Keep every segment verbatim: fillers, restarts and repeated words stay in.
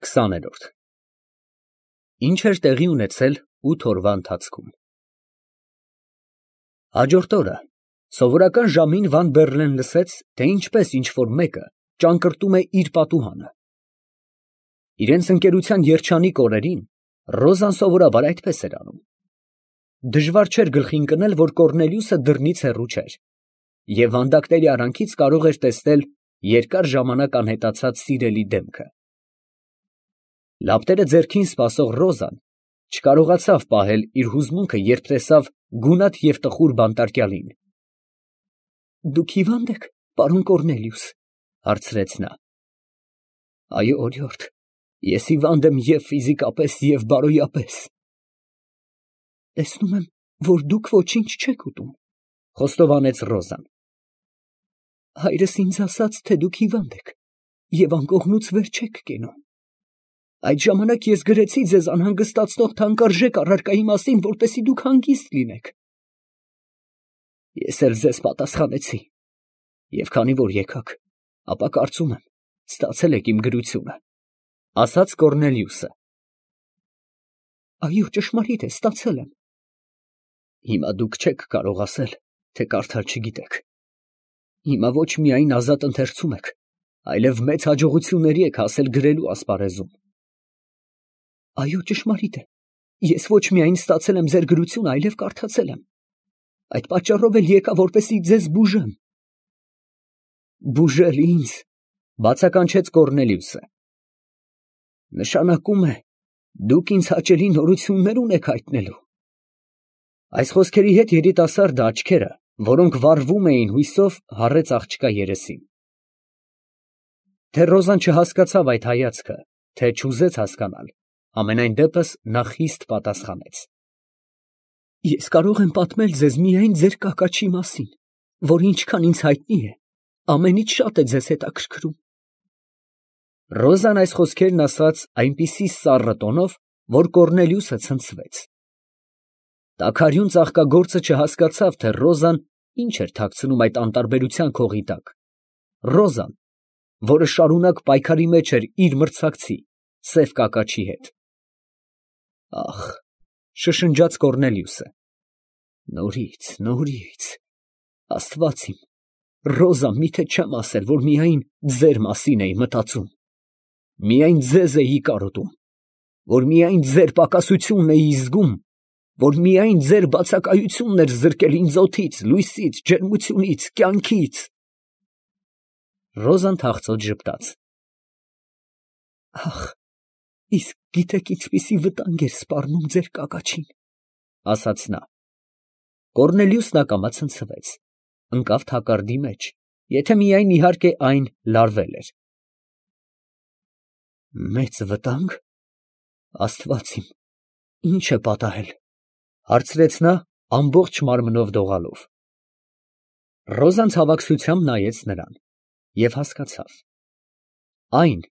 քսաներորդ Ինչ էր տեղի ունեցել ութ օրվա ընթացքում։ Հաջորդ օրը սովորական ժամին Վան Բեռլեն լսեց, թե ինչպես ինչ֊որ մեկը ճանկռտում է իր պատուհանը։ Իրենց ընկերության երջանիկ օրերին Ռոզան սովորաբար այդպես էր անում։ Դժվար չէր գլխի ընկնել, որ Կոռնելիուսը դռնից հեռու չէր, և վանդակների արանքից կարող էր տեսնել երկար ժամանակ անհետացած սիրելի դեմքը։ Լապտերը ձեռքին սպասող Ռոզան չկարողացավ պահել իր հուզմունքը, երբ տեսավ գունատ և տխուր բանտարկյալին։ ֊ Դուք հիվա՞նդ եք, պարոն Կոռնելիուս, ֊ հարցրեց նա։ ֊ Այո, օրիորդ, ես հիվանդ եմ և՛ ֆիզիկապես և բարոյապես։ ֊ Տեսնում եմ, որ դուք ոչինչ չեք ուտում, ֊ խոստովանեց Ռոզան։ ֊ Հայրս ինձ ասաց, թե դուք հիվանդ եք և անկողնուց վեր չեք կենում։ Այդ ժամանակ ես գրեցի ձեզ անհանգստացնող թանկարժեք առարկայի մասին, որպեսզի դուք հանգիստ լինեք։ Ես էլ ձեզ պատասխանեցի, և քանի որ եկաք, ապա կարծում եմ, ստացել եք իմ գրությունը, ֊ ասաց Կոռնելիուսը։ Այո, ճշմարիտ է, ստացել եմ։ Հիմա դուք չեք կարող ասել, թե կարդալ չգիտեք։ Հիմա ոչ միայն ազատ ընթերցում եք, այլև մեծ հաջողությունների եք հասել գրելու ասպարեզում։ Այո, ճշմարիտ է, ես ոչ միայն ստացել եմ ձեր գրությունը, այլև կարդացել եմ։ Այդ պատճառով էլ եկա, որպեսզի ձեզ բուժեմ։ Բուժել ինձ, ֊ բացականչեց Կոռնելիուսը։ Նշանակում է, դուք ինձ հաճելի նորություններ ունեք հայտնելու։ Այս խոսքերի հետ երիտասարդը աչքերը, որոնք վառվում էին հույսով, հառեց աղջկա երեսին։ Թե Ռոզան չհասկացավ այդ հայացքը, թե չուզեց հասկանալ, համենայն դեպս նա խիստ պատասխանեց. Ես կարող եմ պատմել ձեզ միայն ձեր կակաչի մասին, որ ինչքան ինձ հայտնի է, ամենից շատ է ձեզ հետաքրքրում։ Ռոզան այս խոսքերն ասաց այնպիսի սառը տոնով, որ Կոռնելիուսը ցնցվեց։ Տաքարյուն ծաղկագործը չհասկացավ, թե Ռոզան ինչ էր թաքցնում այդ անտարբերության քողի տակ։ Ռոզան, որը շարունակ պայքարի մեջ էր իր մրցակցի՝ սև կակաչի հետ։ Ախ, ֊ շշնջաց Կոռնելիուսը, նորից, նորից, Աստված իմ, Ռոզա, միթե չեմ ասել, որ միայն ձեր մասին էի մտածում, միայն ձեզ էի կարոտում, որ միայն ձեր պակասությունն էի զգում, որ միայն ձեր բացակայությունն էր զրկել ինձ օդից, լույսից, ջերմությունից, կյանքից։ Ռոզան թախծոց ժպտաց։ Ախ, իսկ գիտեք ինչպիսի վտանգ էր սպառնում ձեր կակաչին, ֊ ասաց նա։ Կոռնելիուսն ակամա ցնցվեց, ընկավ թակարդի մեջ, եթե միայն իհարկե այն լարվել էր։ Մեծ վտա՞նգ, Աստված իմ, ի՞նչ է պատահել, ֊ հարցրեց նա ամբողջ մարմնով դողալով։ Ռոզան ցավակցությամբ նայեց նրան և հասկացավ. այն,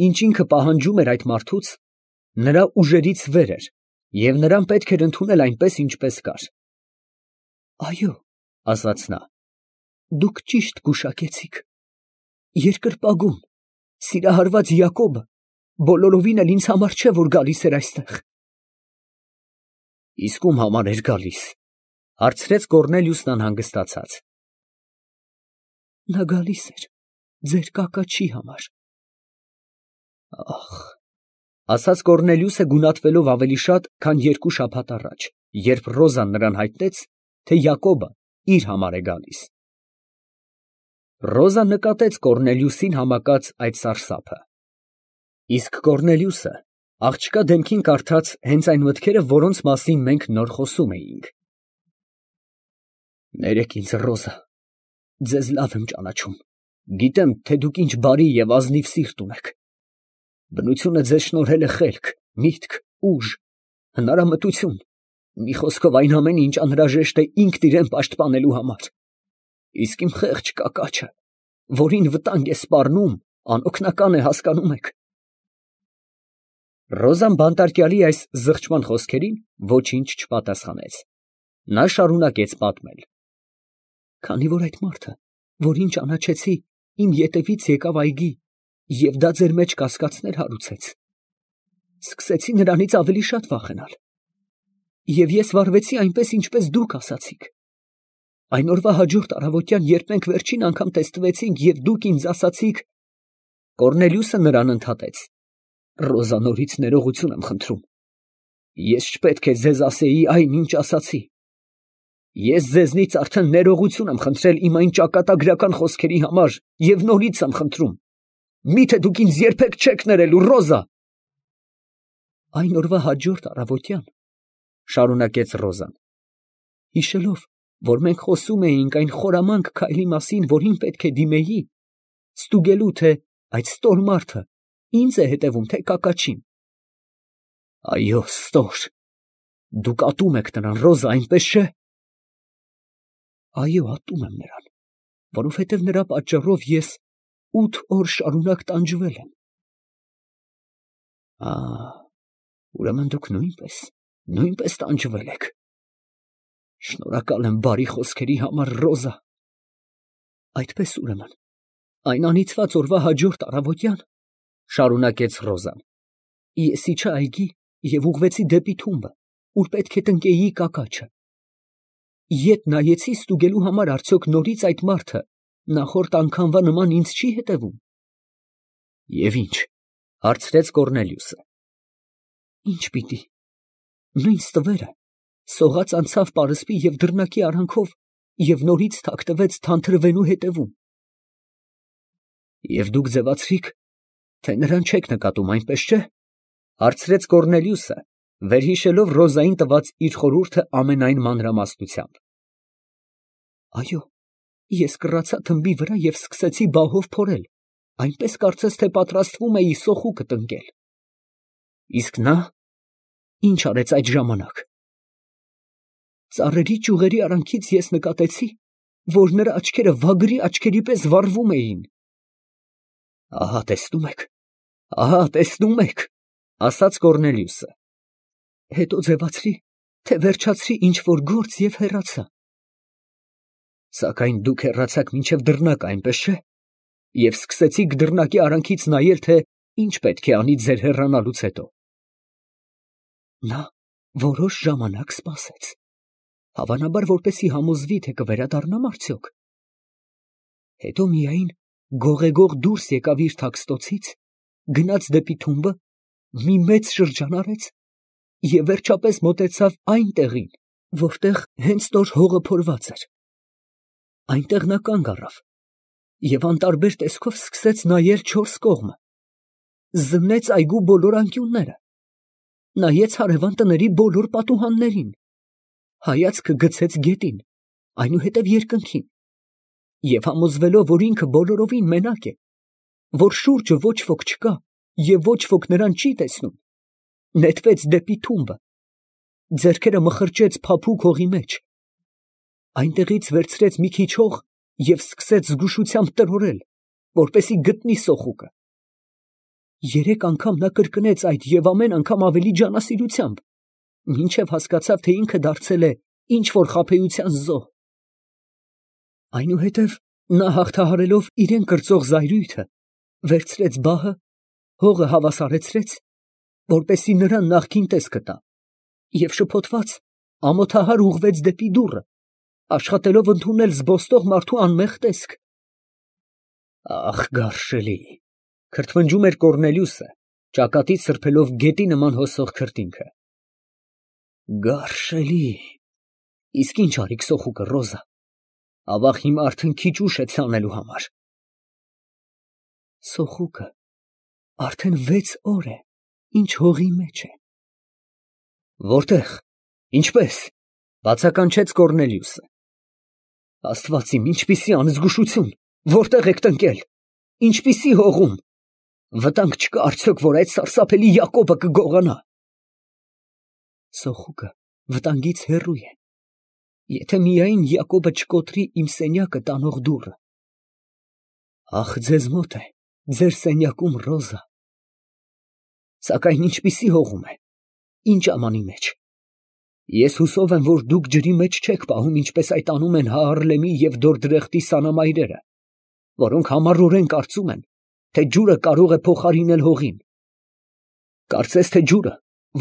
ինչ ինքը պահանջում էր այդ մարդուց, նրա ուժերից վեր էր, և նրան պետք էր ընդունել այնպես, ինչպես կար։ Այո, ֊ ասաց նա, դուք ճիշտ գուշակեցիք։ Երկրպագուն, սիրահարված Յակոբը բոլորովին էլ ինձ համար չէ, որ գալիս էր այստեղ։ Իսկ ում համար էր գալիս, ֊ հարցրեց Կոռնելիուսն անհանգստացած։ Նա գալիս էր ձեր կակաչի համար։ Ախ, ֊ ասաց Կոռնելիուսը գունատվելով ավելի շատ, քան երկու շաբաթ առաջ, երբ Ռոզան նրան հայտնեց, թե Յակոբը իր համար է գալիս։ Ռոզան նկատեց Կոռնելիուսին համակած այդ սարսափը։ Իսկ Կոռնելիուսը աղջկա դեմքին կարդաց հենց այն մտքերը, որոնց մասին մենք նոր խոսում էինք։ Ներեք ինձ, Ռոզա, ձեզ լավ եմ ճանաչում, գիտեմ, թե դուք ինչ բարի և ազնիվ սիրտ ունեք։ Բնությունը ձեզ շնորհել է խելք, միտք, ուժ, հնարամտություն, մի խոսքով այն ամենը, ինչ անհրաժեշտ է ինքն իրան պաշտպանելու համար։ Իսկ իմ խեղճ կակաչը, որին վտանգ է սպառնում, անօգնական է, հասկանում եք։ Ռոզան բանտարկյալի այս զղջման խոսքերին ոչինչ չպատասխանեց։ Նա շարունակեց պատմել. Քանի որ այդ մարդը, որին ճանաչեցի, իմ ետևից եկավ այգի և դա ձեր մեջ կասկածներ հարուցեց, Սկսեցի նրանից ավելի շատ վախենալ։ Եվ ես վարվեցի այնպես, ինչպես դուք ասացիք։ Այն օրվա հաջորդ առավոտյան, երբ մենք վերջին անգամ տեստվեցինք և դուք ինձ ասացիք… Կոռնելիուսը նրան ընդհատեց. Ռոզա, նորից ներողություն եմ խնդրում։ Ես չպետք է ձեզ ասեի այն, ինչ ասացի։ Ես ձեզնից արդեն ներողություն եմ խնդրել իմ այն ճակատագրական խոսքերի համար և նորից եմ խնդրում։ Մի՞թե դուք ինձ երբեք չեք ներելու, Ռոզա։ Այն օրվա հաջորդ առավոտյան, շարունակեց Ռոզան, հիշելով, որ մենք խոսում էինք այն խորամանկ քայլի մասին, որին պետք է դիմեի, ստուգելու, թե այդ ստոր մարդը ինձ է հետևում, թե կակաչին։ Այո, ստոր, դուք ատում եք նրան, Ռոզա, այնպես չէ։ Այո, ատում եմ նրան, որովհետև նրա պատճառով ես ութ օր շարունակ տանջվել եմ։ Ա, ուրեմն դուք նույնպես, նույնպես տանջվել եք։ Շնորհակալ եմ բարի խոսքերի համար, Ռոզա։ Այդպես ուրեմն, այն անիծված օրվա հաջորդ առավոտյան, շարունակեց Ռոզան, ես իջա այգի և ուղղվեցի դեպի թումբը, ուր պետք է տնկեի կակաչը։ Ետ նայեցի ստուգելու համար, արդյոք նորից այդ մարդը նախորդ անգամվա նման ինձ չի հետևում։ Եվ ի՞նչ, հարցրեց Կոռնելիուսը։ Ի՞նչ պիտի։ Նույն ստվերը սողաց անցավ պարսպի և դռնակի արանքով և նորից թաքնվեց թանթրվենու հետևում։ Եվ դուք ձևացրիք, թե նրան չեք նկատում, այնպես չէ, հարցրեց Կոռնելիուսը, վերհիշելով Ռոզային տված իր խորհուրդը ամենայն մանրամասնությամբ։ Այո, ես կռացա թմբի վրա և սկսեցի բահով փորել, այնպես կարծես թե պատրաստվում էի սոխուկը տնկել։ Իսկ նա ի՞նչ արեց այդ ժամանակ։ Ծառերի ճյուղերի արանքից ես նկատեցի, որ նրա աչքերը վագրի աչքերի պես վառվում էին։ Ահա տեսնում եք, ահա տեսնում եք, ասաց Կոռնելիուսը։ Հետո ձևացրի, թե վերջացրի ինչ որ գործ և հեռացա։ Սակայն դուք հեռացաք մինչև դռնակը, այնպես չէ, և սկսեցիք դռնակի արանքից նայել, թե ինչ պետք է անի ձեր հեռանալուց հետո։ Նա որոշ ժամանակ սպասեց, հավանաբար որպեսզի համոզվի, թե կվերադառնամ արդյոք։ Հետո միայն գողեգող դուրս եկավ իր թաքստոցից, գնաց դեպի թումբը, մի մեծ շրջան արեց և վերջապես մոտեցավ այն տեղին, որտեղ հենց նոր հողը փորված էր։ Այնտեղ նա կանգ առավ և անտարբեր տեսքով սկսեց նայել չորս կողմը, զննեց այգու բոլոր անկյունները, նայեց հարևան տների բոլոր պատուհաններին, հայացքը գցեց գետին, այնուհետև երկնքին, և համոզվելով, որ ինքը բոլորովին մենակ է, որ շուրջը ոչ ոք չկա և ոչ ոք նրան չի տեսնում, նետվեց դեպի թումբը, ձեռքերը մխրճեց փափուկ հողի մեջ, այնտեղից վերցրեց մի քիչ հող և սկսեց զգուշությամբ տրորել, որպեսզի գտնի սոխուկը։ Երեք անգամ նա կրկնեց այդ և ամեն անգամ ավելի ջանասիրությամբ, մինչև հասկացավ, թե ինքը դարձել է ինչ որ խաբեության զոհ։ Այնուհետև նա հաղթահարելով իրեն կրծող զայրույթը, վերցրեց բահը, հողը հավասարեցրեց, որպեսզի նրան նախկին տեսքը տա, և շփոթված ամոթահար ուղղվեց դեպի դուռը, աշխատելով ընդունել զբոստող մարդու անմեղ տեսք։ Ախ, գարշելի, քրթմնջում էր Կոռնելիուսը, ճակատից սրբելով գետի նման հոսող քրտինքը։ Գարշելի, իսկ ինչ արիք սոխուկը, Ռոզա, ավաղ հիմա արդեն քիչ ուշ է ցանելու համար։ Սոխուկը արդեն վեց օր է, ինչ հողի մեջ է։ Որտե՞ղ, ինչպե՞ս, բացականչեց Կոռնելիուսը։ Աստված իմ, ինչպիսի անզգուշություն, որտե՞ղ եք տնկել, ինչպիսի հողում, վտանգ չկա արդյոք, որ այդ սարսափելի Յակոբը կգողանա։ Սոխուկը վտանգից հեռու է, եթե միայն Յակոբը չկոտրի իմ սենյակը տանող դուռը։ Ախ, ձեզ մոտ է, ձեր սենյակում, Ռոզա։ Սակայն ինչպիսի հողում է, ինչ ամանի մեջ։ Ես հուսով եմ, որ դուք ջրի մեջ չեք պահում, ինչպես այդ անում են Հաառլեմի և Դորդրեխտի սանամայրերը, որոնք համառորեն կարծում են, թե ջուրը կարող է փոխարինել հողին։ Կարծես թե ջուրը,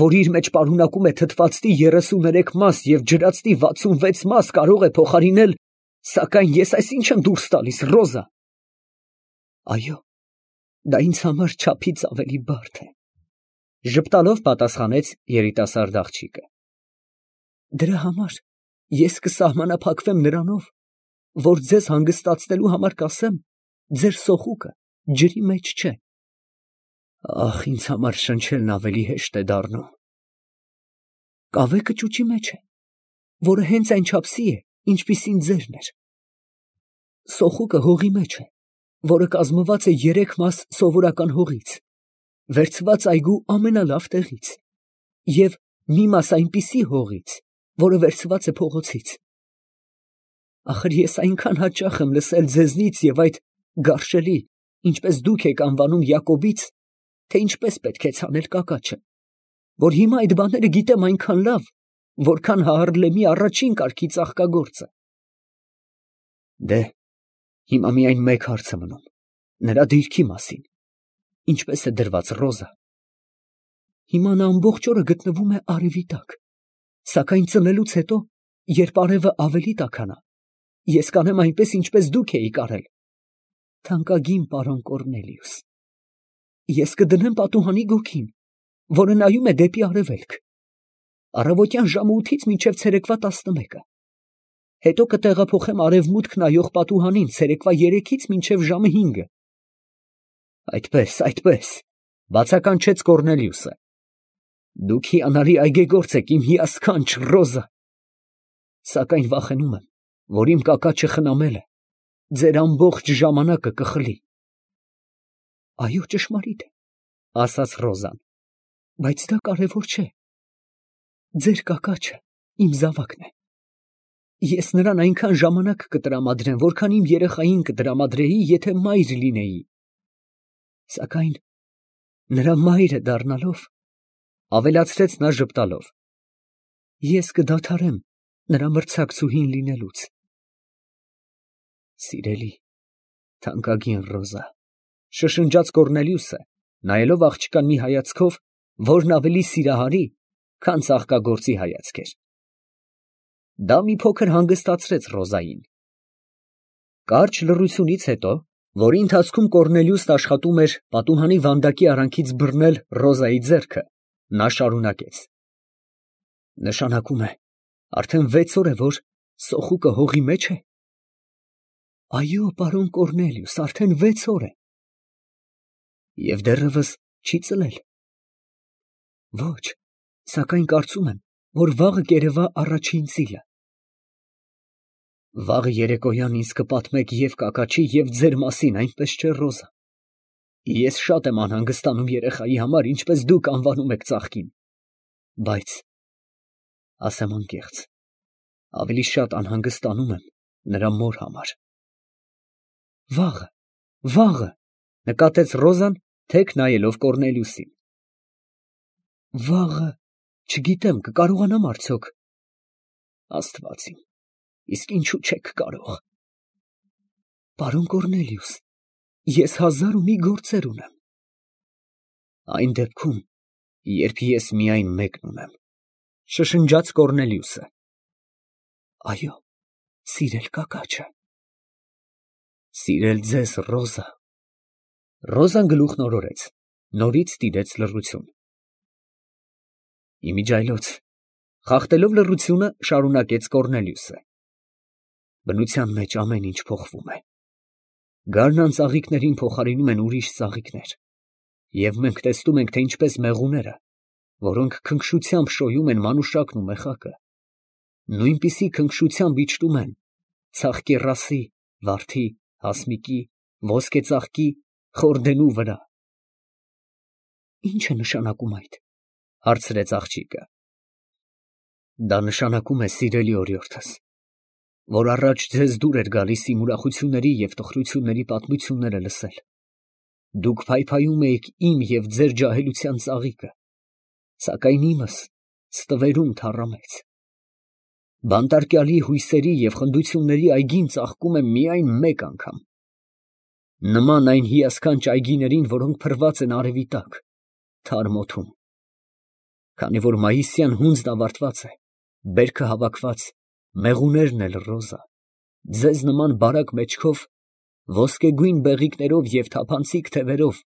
որ իր մեջ պարունակում է թթվածնի երեսուներեք մաս և ջրածնի վաթսունվեց մաս, կարող է փոխարինել, սակայն ես այս ի՞նչ եմ դուրս տալիս, Ռոզա։ Այո, դա ինձ համար չափից ավելի բարդ է, ժպտալով պատասխանեց երիտասարդ աղջիկը։ Դրա համար ես կսահմանափակվեմ նրանով, որ ձեզ հանգստացնելու համար կասեմ, ձեր սոխուկը ջրի մեջ չէ։ Ախ, ինձ համար շնչելն ավելի հեշտ է դառնում։ Կավեկը ճուճի մեջ է, որը հենց այնչափսի է, ինչպիսին ձերն էր։ Սոխուկը հողի մեջ է, որը կազմված է երեք մաս սովորական հողից, վերցված այգու ամենալավ տեղից, և մի մաս այնպիսի հողից, որը վերցված է փողոցից։ Ախր ես այնքան հաճախ եմ լսել ձեզնից և այդ գարշելի, ինչպես դուք եք անվանում Յակոբից, թե ինչպես պետք է ցանել կակաչը, որ հիմա այդ բաները գիտեմ այնքան լավ, որքան Հաառլեմի առաջին կարգի ծաղկագործը։ Դե, հիմա միայն մեկ հարց է մնում, նրա դիրքի մասին, ինչպես է դրված, Ռոզա։ Հիմա նա ամբողջ օրը գտնվում է արևի տակ, սակայն ծնելուց հետո, երբ արևը ավելի տաքանա, ես կանեմ այնպես, ինչպես դուք էիք արել։ Թանկագին պարոն Կոռնելիուս, ես կդնեմ պատուհանի գոգին, որը նայում է դեպի արևելք, առավոտյան ժամը ութից մինչև ցերեկվա տասնմեկը, հետո կտեղափոխեմ արևմուտք նայող պատուհանին ցերեկվա երեքից մինչև ժամը հինգը։ Այդպես, այդպես, բացականչեց Կոռնելիուսը։ Դուք հիանալի այգեգործ եք, իմ հիասքանչ Ռոզա, սակայն վախենում եմ, որ իմ կակաչը խնամելը ձեր ամբողջ ժամանակը կխլի։ Այո, ճշմարիտ է, ասաց Ռոզան, բայց դա կարևոր չէ։ Ձեր կակաչը իմ զավակն է։ Ես նրան այնքան ժամանակ կտրամադրեմ, որքան իմ երեխային կտրամադրեի, եթե մայր լինեի։ Սակայն նրա մայրը դառնալով, ավելացրեց նա ժպտալով, ես կդադարեմ նրա մրցակցուհին լինելուց։ Սիրելի, թանկագին Ռոզա, շշնջաց Կոռնելիուսը, նայելով աղջկան մի հայացքով, որն ավելի սիրահարի, քան ծաղկագործի հայացք էր։ Դա մի փոքր հանգստացրեց Ռոզային։ Կարճ լռությունից հետո, որի ընթացքում Կոռնելիուսն աշխատում էր պատուհանի վանդակի արանքից բռնել Ռոզայի ձեռքը, նա շարունակեց. Նշանակում է, արդեն վեց օր է, որ սոխուկը հողի մեջ է։ Այո, պարոն Կոռնելիուս, արդեն վեց օր է։ Եվ դեռևս չի ծլել։ Ոչ, սակայն կարծում եմ, որ վաղը կերևա առաջին ծիլը։ Վաղը երեկոյան ինձ կպատմեք և կակաչի, և ձեր մասին, այնպես չէ, Ռոզա։ Ես շատ եմ անհանգստանում երեխայի համար, ինչպես դուք անվանում եք ծաղկին, բայց, ասեմ անկեղծ, ավելի շատ անհանգստանում եմ նրա մոր համար։ Վաղը, վաղը, նկատեց Ռոզան, թեք նայելով Կոռնելիուսին։ Վաղը, չգիտեմ, կկարողանամ արդյոք։ Աստված իմ, իսկ ինչու չեք կարող։ Պարոն Կոռնելիուս, ես հազար ու մի գործեր ունեմ։ Այն դեպքում, երբ ես միայն մեկն ունեմ, շշնջաց Կոռնելիուսը։ Այո, սիրել կակաչը։ Սիրել ձեզ, Ռոզա։ Ռոզան գլուխն օրորեց, նորից տիրեց լռություն։ Իմիջայլոց, խախտելով լռությունը, շարունակեց Կոռնելիուսը։ Բնության մեջ ամեն ինչ փոխվում է։ Գարնան ծաղիկներին փոխարինում են ուրիշ ծաղիկներ, և մենք տեսնում ենք, թե ինչպես մեղուները, որոնք քնքշությամբ շոյում են մանուշակն ու մեխակը, նույնպիսի քնքշությամբ իջնում են ցաղկեռասի, վարդի, հասմիկի, ոսկեծաղկի, խորդենու վրա։ Ի՞նչ է նշանակում այդ, հարցրեց աղջիկը։ Դա նշանակում է, սիրելի օրիորդս, որ առաջ ձեզ դուր էր գալիս իմ ուրախությունների և տխրությունների պատմությունները լսել։ Դուք փայփայում էիք իմ և ձեր ջահելության ծաղիկը, սակայն իմս ստվերում թառամեց։ Բանտարկյալի հույսերի և խնդությունների այգին ծաղկում եմ միայն մեկ անգամ։ Նման այն հիասքանչ այգիներին, որոնք փռված են արևի տակ, թարմ օդում։ Քանի որ մայիսյան հունձն ավարտված է, բերքը հավաքված, մեղուներն էլ Ռոզա, ձեզ նման բարակ մեջքով, ոսկեգույն բեղիկներով և թափանցիկ թևերով,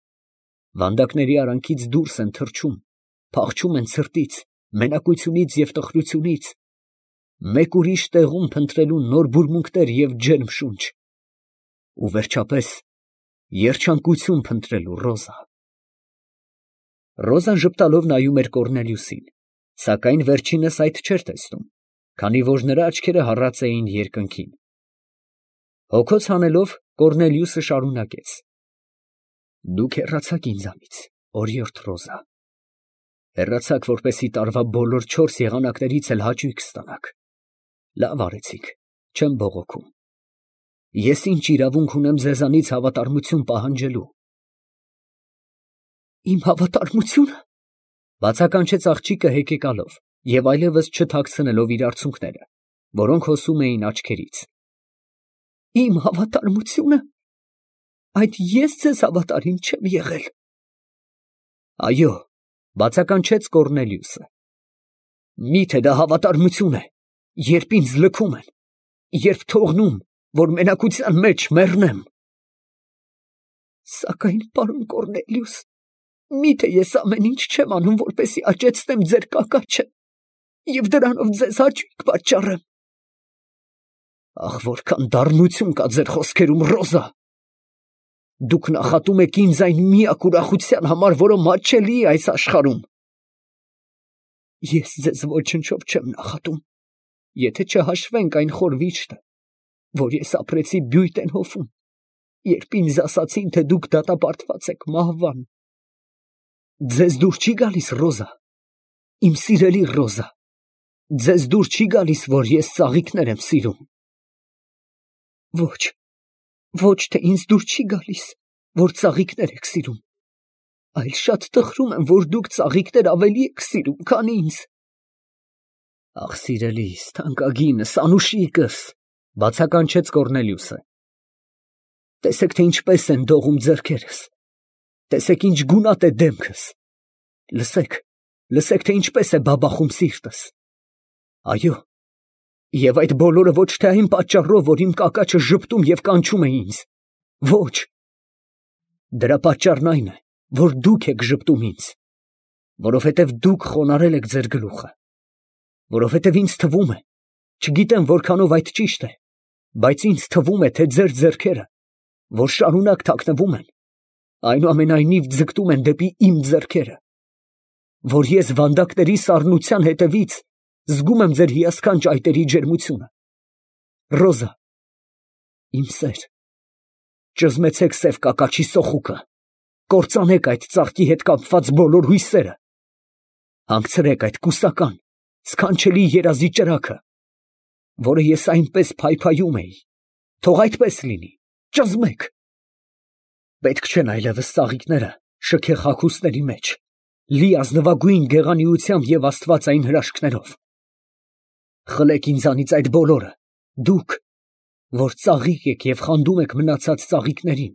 վանդակների արանքից դուրս են թռչում, փախչում են ցրտից, մենակությունից և տխրությունից, մեկ ուրիշ տեղում փնտրելու նոր բուրմունքներ և ջերմ շունչ, ու վերջապես երջանկություն փնտրելու, Ռոզա։ Ռոզան ժպտալով նայում էր Կոռնելիուսին, սակայն վերջինս այդ չէր տեսնում, քանի որ նրա աչքերը հառած էին երկնքին։ Հոգոց հանելով, Կոռնելիուսը շարունակեց. Դուք հեռացաք ինձանից, օրիորդ Ռոզա, հեռացաք, որպեսզի տարվա բոլոր չորս եղանակներից էլ հաճույք ստանաք։ Լավ արեցիք, չեմ բողոքում։ Ես ինչ իրավունք ունեմ ձեզանից հավատարմություն պահանջելու։ Իմ հավատարմությո՞ւնը, բացականչեց աղջիկը հեկեկալով և այլևս չթաքցնելով իր արցունքները, որոնք հոսում էին աչքերից։ Իմ հավատարմությո՞ւնը, այդ ես ձեզ հավատարիմ չեմ եղել։ Այո, բացականչեց Կոռնելիուսը։ Միթե դա հավատարմություն է, երբ ինձ լքում են, երբ թողնում, որ մենակության մեջ մեռնեմ։ Սակայն, պարոն Կոռնելիուս, միթե ես ամեն ինչ չեմ անում, որպեսզի աճեցնեմ ձեր կակաչը և դրանով ձեզ հաճույք պատճառեմ։ Ախ, որքան դառնություն կա ձեր խոսքերում, Ռոզա։ Դուք նախատում եք ինձ այն միակ ուրախության համար, որը մատչելի է այս աշխարհում։ Ես ձեզ ոչնչով չեմ նախատում, եթե չհաշվենք այն խոր վիշտը, որ ես ապրեցի Բյուйтեն հովում, երբ ինձ ասացին, թե դուք դատապարտված եք մահվան։ Ձեզ դուր չի գալիս, Ռոզա, իմ սիրելի Ռոզա, ձեզ դուր չի գալիս, որ ես ծաղիկներ եմ սիրում։ Ոչ, ոչ թե ինձ դուր չի գալիս, որ ծաղիկներ եք սիրում, այլ շատ տխրում եմ, որ դուք ծաղիկներ ավելի եք սիրում, քան ինձ։ Ախ, սիրելիս, թանկագինս, անուշիկս, բացականչեց Կոռնելիուսը։ Տեսեք, թե ինչպես են դողում ձեռքերս, տեսեք, ինչ գունատ է դեմքս, լսեք, լսեք, թե ինչպես է բաբախում սիրտս։ Այո, և այդ բոլորը ոչ թե այն պատճառով, որ իմ կակաչը ժպտում և կանչում է ինձ, ոչ, դրա պատճառն այն է, որ դուք եք ժպտում ինձ, որովհետև դուք խոնարհել եք ձեր գլուխը, որովհետև ինձ թվում է, չգիտեմ որքանով այդ ճիշտ է, բայց ինձ թվում է, թե ձեր ձեռքերը, որ շարունակ թաքնվում են, այնուամենայնիվ ձգտում են դեպի իմ ձեռքերը, որ ես վանդակների սառնության հետևից զգում եմ ձեր հիասքանչ այտերի ջերմությունը։ Ռոզա, իմ սեր, ճզմեցեք սև կակաչի սոխուկը, կործանեք այդ ծաղկի հետ կապված բոլոր հույսերը, հանգցրեք այդ կուսական, սքանչելի երազի ճրագը, որը ես այնպես փայփայում էի, թող այդպես լինի, ճզմեք։ Պետք չեն այլևս ծաղիկները շքեղ հագուստների մեջ, լի ազնվագույն գեղանիությամբ և աստվածային հրաշքներով։ Խլեք ինձանից այդ բոլորը, դուք, որ ծաղիկ եք և խանդում եք մնացած ծաղիկներին,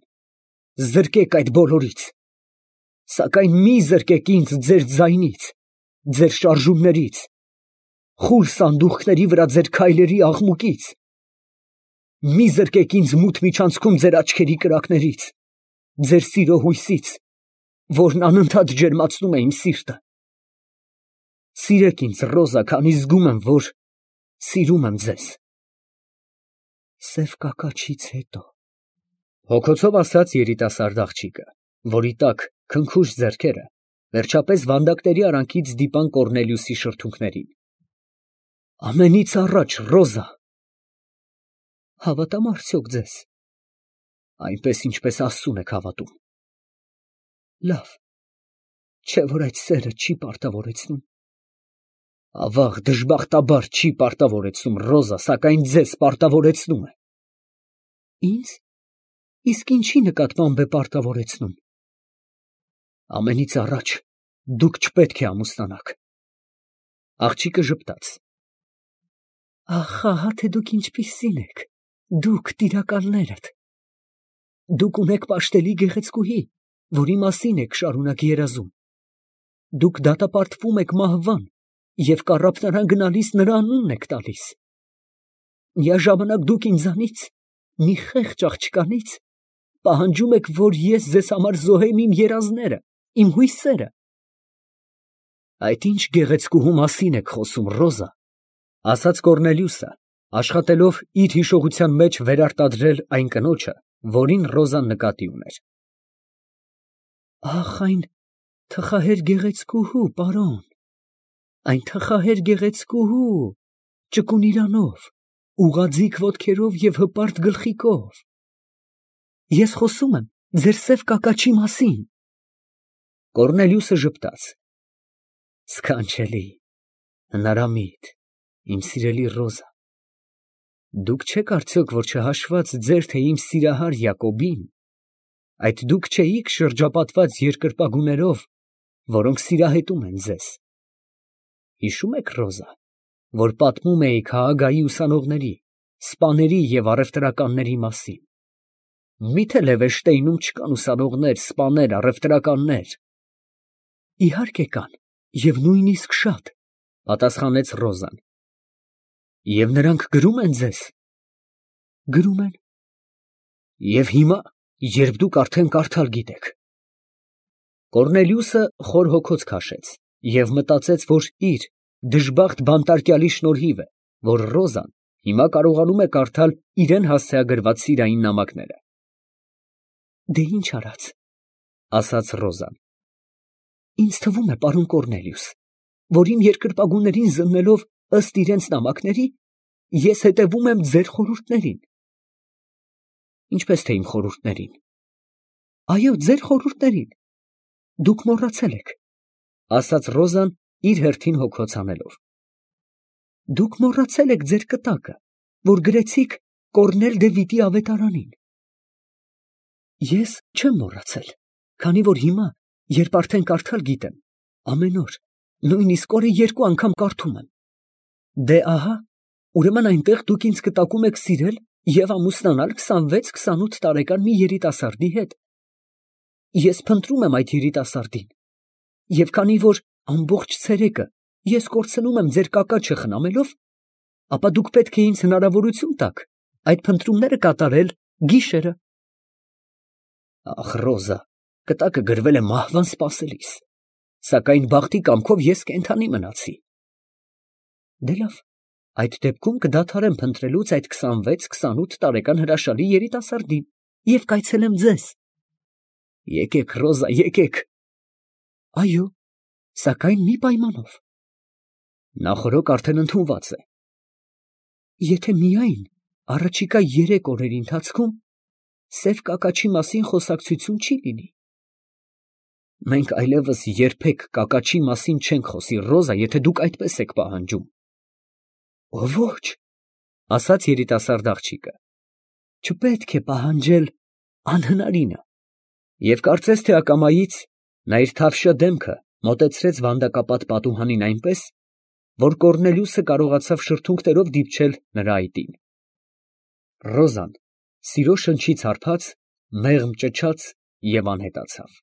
զրկեք այդ բոլորից, սակայն մի զրկեք ինձ ձեր ձայնից, ձեր շարժումներից, խուլ սանդուղքների վրա ձեր քայլերի աղմուկից, մի զրկեք ինձ մութ միջանցքում ձեր աչքերի կրակներից, ձեր սիրո հույսից, որն անընդհատ ջերմացնում է իմ սիրտը։ Սիրեք ինձ, Ռոզա, քանի զգում եմ, որ սիրում եմ ձեզ։ Սև կակաչից հետո, հոգոցով ասաց երիտասարդ աղջիկը, որի տակ քնքուշ ձեռքերը վերջապես վանդակների արանքից դիպան Կոռնելիուսի շրթունքներին։ Ամենից առաջ, Ռոզա։ Հավատամ արդյոք ձեզ, այնպես, ինչպես Աստծուն եք հավատում։ Լավ, չէ՞ որ այդ սերը չի պարտավորեցնում։ Ավաղ, դժբախտաբար չի պարտավորեցնում, Ռոզա, սակայն ձեզ պարտավորեցնում է։ Ինձ։ Իսկ ինչի նկատմամբ է պարտավորեցնում։ Ամենից առաջ դուք չպետք է ամուսնանաք։ Աղջիկը ժպտաց։ Ախ, ահա թե դուք ինչպիսին եք, դուք տիրակալներդ։ Դուք ունեք պաշտելի գեղեցկուհի, որի մասին եք շարունակ երազում։ դուք դատապարտվում եք մահվան և կառափնարան գնալիս նրա անունն եք տալիս։ Միաժամանակ դուք ինձանից, մի խեղճ աղջկանից, պահանջում եք, որ ես ձեզ համար զոհեմ իմ երազները, իմ հույսերը։ Այդ ի՞նչ գեղեցկուհու մասին եք խոսում, Ռոզա, ֊ ասաց Կոռնելիուսը, աշխատելով իր հիշողության մեջ վերարտադրել այն կնոջը, որին Ռոզան նկատի ուներ։ Ախ, այն թխահեր գեղեցկուհու, պարոն, այն թխահեր գեղեցկուհու, ճկուն իրանով, ուղղաձիգ ոտքերով և հպարտ գլխիկով։ Ես խոսում եմ ձեր սև կակաչի մասին։ Կոռնելիուսը ժպտաց։ Սքանչելի, հնարամիտ, իմ սիրելի Ռոզա, դուք չեք արդյոք, որ չհաշված ձեր, թե իմ սիրահար Յակոբին, այդ դուք չէիք շրջապատված երկրպագուներով, որոնք սիրահետում են ձեզ։ Հիշո՞ւմ եք, Ռոզա, որ պատմում էիք Հաագայի ուսանողների, սպաների և առևտրականների մասին։ Մի՞թե Լևեշտեյնում չկան ուսանողներ, սպաներ, առևտրականներ։ Իհարկե կան, և նույնիսկ շատ, ֊ պատասխանեց Ռոզան։ Եվ նրանք գրում են ձեզ։ Գրում են։ Եվ հիմա, երբ դուք արդեն կարդալ գիտեք։ Կոռնելիուսը խոր հոգոց քաշեց և մտածեց, որ իր դժբախտ բանտարկյալի շնորհիվ է, որ Ռոզան հիմա կարողանում է կարդալ իրան հասցեագրված սիրային նամակները։ Դե ինչ արած, ֊ ասաց Ռոզան։ Ինձ թվում է, պարոն Կոռնելիուս, որ իմ երկրպագուներին զննելով ըստ իրենց նամակների, ես հետևում եմ ձեր խորհուրդներին։ Ինչպես թե իմ խորհուրդներին։ Այո, ձեր խորհուրդներին։ Դուք մոռացել եք, ֊ ասաց Ռոզան իր հերթին հոգոց հանելով։ Դուք մոռացել եք ձեր կտակը, որ գրեցիք Կոռնել դե Վիտի ավետարանին։ Ես չեմ մոռացել, քանի որ հիմա, երբ արդեն կարդալ գիտեմ, ամեն օր, նույնիսկ օրը երկու անգամ կարդում եմ։ Դե ահա, ուրեմն այնտեղ դուք ինձ կտակում եք սիրել և ամուսնանալ քսանվեց֊քսանութ տարեկան մի երիտասարդի հետ։ Ես փնտրում եմ այդ երիտասարդին, և քանի որ ամբողջ ցերեկը ես կորցնում եմ ձեր կակաչը խնամելով, ապա դուք պետք է ինձ հնարավորություն տաք այդ փնտրումները կատարել գիշերը։ Ախ, Ռոզա, կտակը գրվել է մահվան սպասելիս, սակայն բախտի կամքով ես կենդանի մնացի։ Դե լավ, այդ դեպքում կդադարեմ փնտրելուց այդ քսանվեց֊քսանութ տարեկան հրաշալի երիտասարդին և կայցելեմ ձեզ։ Եկեք, Ռոզա, եկեք։ Այո, սակայն մի պայմանով։ Նախօրոք արդեն ընդունված է։ Եթե միայն առաջիկա երեք օրերի ընթացքում սև կակաչի մասին խոսակցություն չի լինի։ Մենք այլևս երբեք կակաչի մասին չենք խոսի, Ռոզա, եթե դուք այդպես եք պահանջում։ Ոչ, ֊ ասաց երիտասարդ աղջիկը, չպետք է պահանջել անհնարինը։ Եվ կարծես թե ակամայից նա իր թավշյա դեմքը մոտեցրեց վանդակապատ պատուհանին այնպես, որ Կոռնելիուսը կարողացավ շրթունքներով դիպչել նրա այտին։ Ռոզան, սիրո շնչից հարբած, մեղմ ճչաց և անհետացավ։